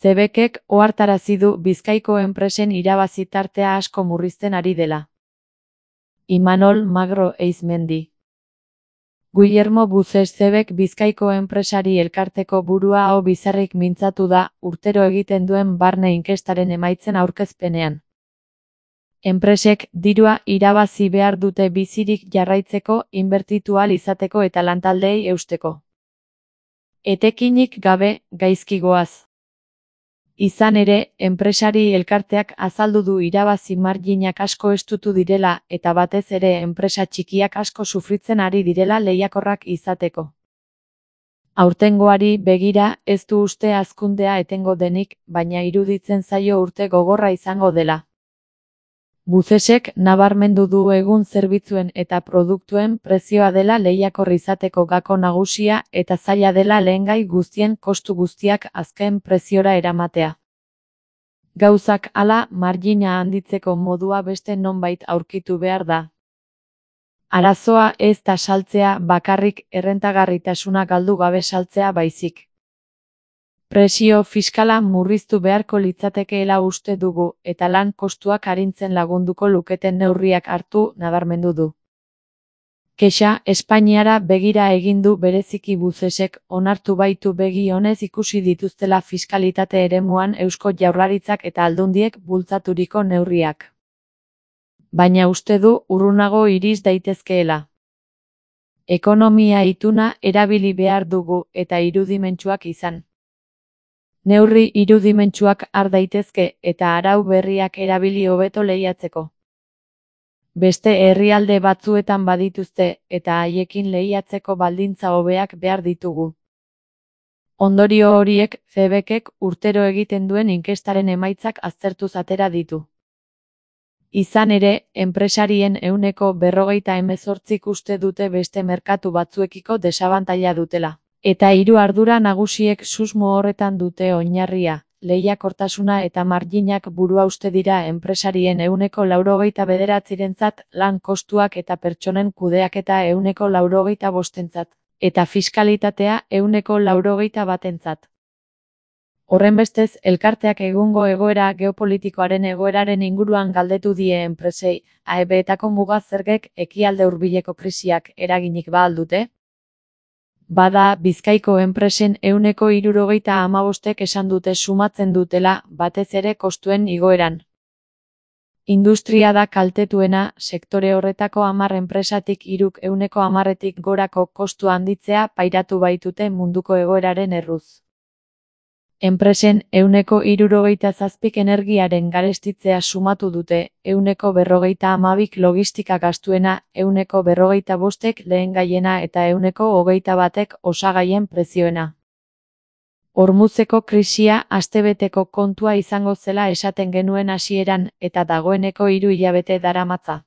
CEBEKek ohartarazi du Bizkaiko enpresen irabazi tartea asko murrizten ari dela. Imanol Magro Eizmendi. Guillermo Buces CEBEK Bizkaiko enpresari elkarteko burua aho bizarrik mintzatu da urtero egiten duen barne inkestaren emaitzen aurkezpenean. Enpresek dirua irabazi behar dute bizirik jarraitzeko, inbertitu ahal izateko eta lantaldeei eusteko. Etekinik gabe, gaizki goaz. Izan ere, enpresari elkarteak azaldu du irabazi marginak asko estutu direla eta batez ere enpresa txikiak asko sufritzen ari direla lehiakorrak izateko. Aurtengoari begira ez du uste hazkundea etengo denik, baina iruditzen zaio urte gogorra izango dela. Bucesek nabarmendu du egun zerbitzuen eta produktuen prezioa dela lehiakor izateko gako nagusia eta zaila dela lehengai guztien kostu guztiak azken preziora eramatea. Gauzak hala, margina handitzeko modua beste nonbait aurkitu behar da. Arazoa ez da saltzea bakarrik, errentagarritasuna galdu gabe saltzea baizik. Presio fiskala murriztu beharko litzatekeela uste dugu eta lan kostuak arintzen lagunduko luketen neurriak hartu nabarmendu du. Kexa Espainiara begira egin du bereziki Bucesek, onartu baitu begi onez ikusi dituztela fiskalitate eremuan Eusko Jaurlaritzak eta Aldundiek bultzaturiko neurriak. Baina uste du urrunago iris daitezkeela. Ekonomia ituna erabili behar dugu eta irudimentsuak izan. Neurri irudimentsuak har daitezke eta arau berriak erabili hobeto lehiatzeko. Beste herrialde batzuetan badituzte eta haiekin lehiatzeko baldintza hobeak behar ditugu. Ondorio horiek CEBEKek urtero egiten duen inkestaren emaitzak aztertuz atera ditu. Izan ere, enpresarien 48% uste dute beste merkatu batzuekiko desabantaila dutela. Eta 3 ardura nagusiek susmo horretan dute oinarria, lehiakortasuna eta marginak burua uste dira enpresarien 89%rentzat, lan kostuak eta pertsonen kudeaketa 85%rentzat, eta fiskalitatea 81%rentzat. Horrenbestez, elkarteak egungo egoera geopolitikoaren egoeraren inguruan galdetu die enpresei, AEBetako muga zergek ekialde hurbileko krisiak eraginik ba al dute? Bada, Bizkaiko enpresen 75%ek esan dute sumatzen dutela, batez ere kostuen igoeran. Industria da kaltetuena, sektore horretako 10 enpresatik 3k 10%tik gorako kostu handitzea pairatu baitute munduko egoeraren erruz. Enpresen 77%k energiaren garestitzea sumatu dute, 52%k logistika gastuena, 45%k lehengaiena eta 21%k osagaien prezioena. Hormuzeko krisia astebeteko kontua izango zela esaten genuen hasieran eta dagoeneko 3 hilabete daramatza.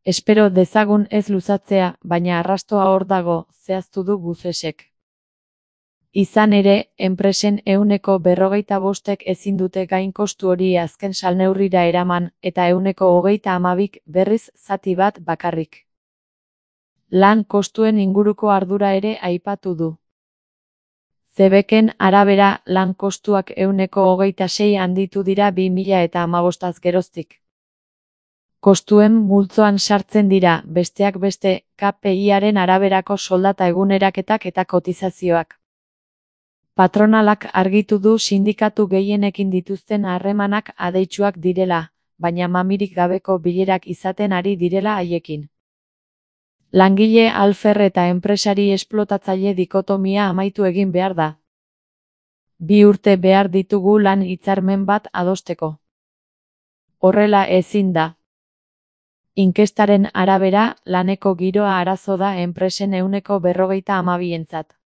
Espero dezagun ez luzatzea, baina arrastoa hor dago, zehaztu du Bucesek. Izan ere, enpresen 45%ek ezin dute gain kostu hori azken salneurrira eraman eta 32%k berriz zati bat bakarrik. Lan kostuen inguruko ardura ere aipatu du. CEBEKen arabera, lan kostuak 26% handitu dira 2015 geroztik. Kostuen multzoan sartzen dira, besteak beste, KPIaren araberako soldata eguneraketak eta kotizazioak. Patronalak argitu du sindikatu gehienekin dituzten harremanak adeitsuak direla, baina mamirik gabeko bilerak izaten ari direla haiekin. Langile alfer eta enpresari esplotatzaile dikotomia amaitu egin behar da. 2 urte behar ditugu lan hitzarmen bat adosteko. Horrela ezin da. Inkestaren arabera, laneko giroa arazo da enpresen 52%entzat.